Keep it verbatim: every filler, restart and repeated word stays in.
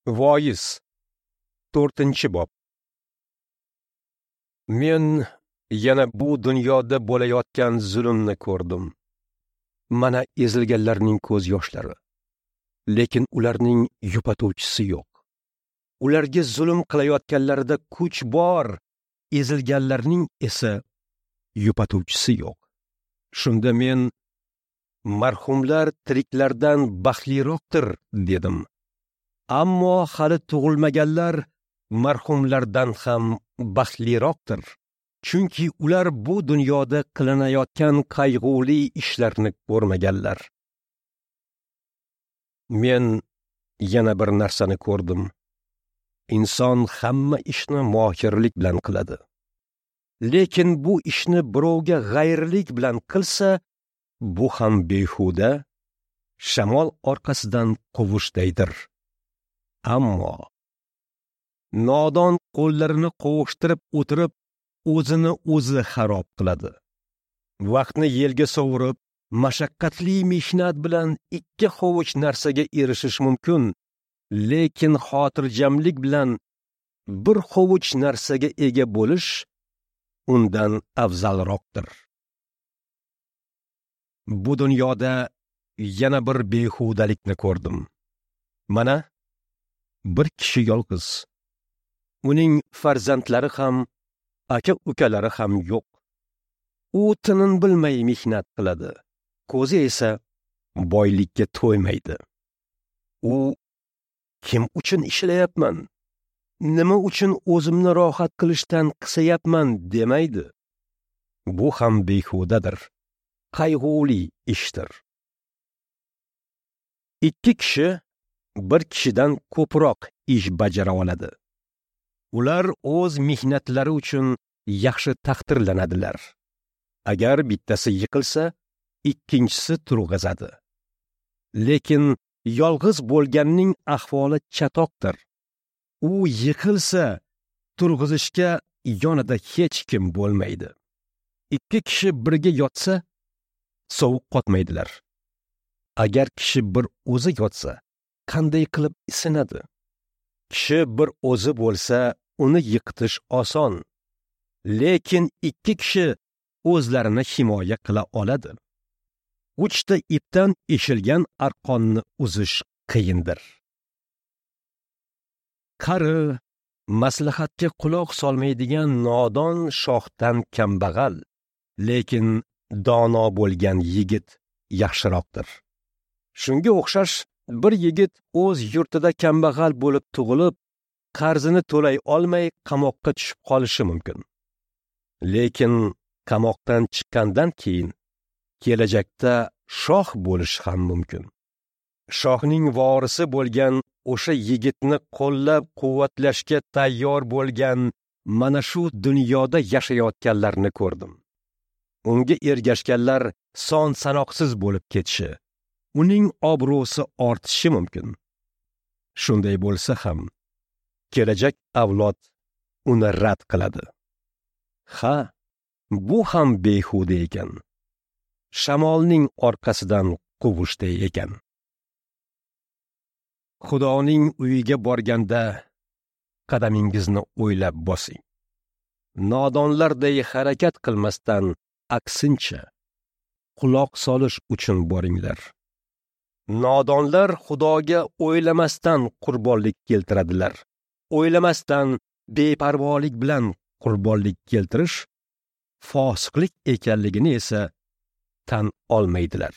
Voiz, to'rtinchi bob. Men yana bu dunyoda bo'layotgan zulmni ko'rdim. Mana ezilganlarning ko'z yoshlari, lekin ularning yupatuvchisi yo'q. Ularga zulm qilayotganlarida kuch bor, ezilganlarning esa yupatuvchisi yo'q. Shunda men marhumlar tiriklardan baxtliroqdir dedim. Ammo hali tug'ilmaganlar marhumlardan ham baxtliroqdir. Chunki ular bu dunyoda qilinayotgan qayg'uli ishlarni ko'rmaganlar. Men yana bir narsani ko'rdim. Inson hamma ishni mohirlik bilan qiladi. Lekin bu ishni birovga g'ayrlik bilan qilsa, bu ham behuda, shamol orqasidan quvishdaydir. Ammo nodon qo'llarini qovushtirib o'tirib, o'zini o'zi xarob qiladi. Vaqtni yelga sovurib, mashaqqatli mehnat bilan ikki hovuch narsaga erishish mumkin, lekin xotirjamlik bilan bir hovuch narsaga ega bo'lish undan afzalroqdir. Bu dunyoda yana bir behudalikni ko'rdim. Mana bir kishi yolg'iz. Uning farzandlari ham, aka-ukalari ham yo'q. U tinim bilmay mehnat qiladi. Ko'zi esa boylikka to'ymaydi. U kim uchun ishlayapman? Nima uchun o'zimni rohat qilishdan qisayapman demaydi. Bu ham behudadir. Qayg'uli ishdir. Ikki kishi bir kishidan ko'proq ish bajara oladi. Ular o'z mehnatlari uchun yaxshi taqdirlanadilar. Agar bittasi yiqilsa, ikkinchisi turg'azadi. Lekin yolg'iz bo'lganning ahvoli chatoqdir. U yiqilsa, turg'izishga yonida hech kim bo'lmaydi. Ikki kishi birga yotsa, sovuq qotmaydilar. Agar kishi bir o'zi yotsa, qanday qilib isinadi? Kishi bir o'zi bo'lsa, uni yiqitish oson. Lekin ikki kishi o'zlarini himoya qila oladi. Uchta ipdan eshilgan arqonni uzish qiyindir. Qari, maslahatga quloq solmaydigan nodon shohdan kambag'al, lekin dono bo'lgan yigit yaxshiroqdir. Shunga o'xshash bir yigit o'z yurtida kambag'al bo'lib tug'ilib, qarzini to'lay olmay qamoqqa tushib qolishi mumkin. Lekin qamoqdan chiqqandan keyin kelajakda shoh bo'lishi ham mumkin. Shohning vorisi bo'lgan o'sha yigitni qo'llab-quvvatlashga tayyor bo'lgan mana shu dunyoda yashayotganlarni ko'rdim. Unga ergashganlar son sanoqsiz bo'lib ketishi, uning obro'si ortishi mumkin. Shunday bo'lsa ham, kelajak avlod uni rad qiladi. Ha, bu ham behuda ekan. Shamolning orqasidan quvishday ekan. Xudoning uyiga borganda qadamingizni o'ylab bosing. Nodonlarday harakat qilmasdan, aksincha quloq solish uchun boringlar. Nodonlar Xudoga o'ylamasdan qurbonlik keltiradilar. O'ylamasdan beparvolik bilan qurbonlik keltirish fosiqlik ekanligini esa tan olmaydilar.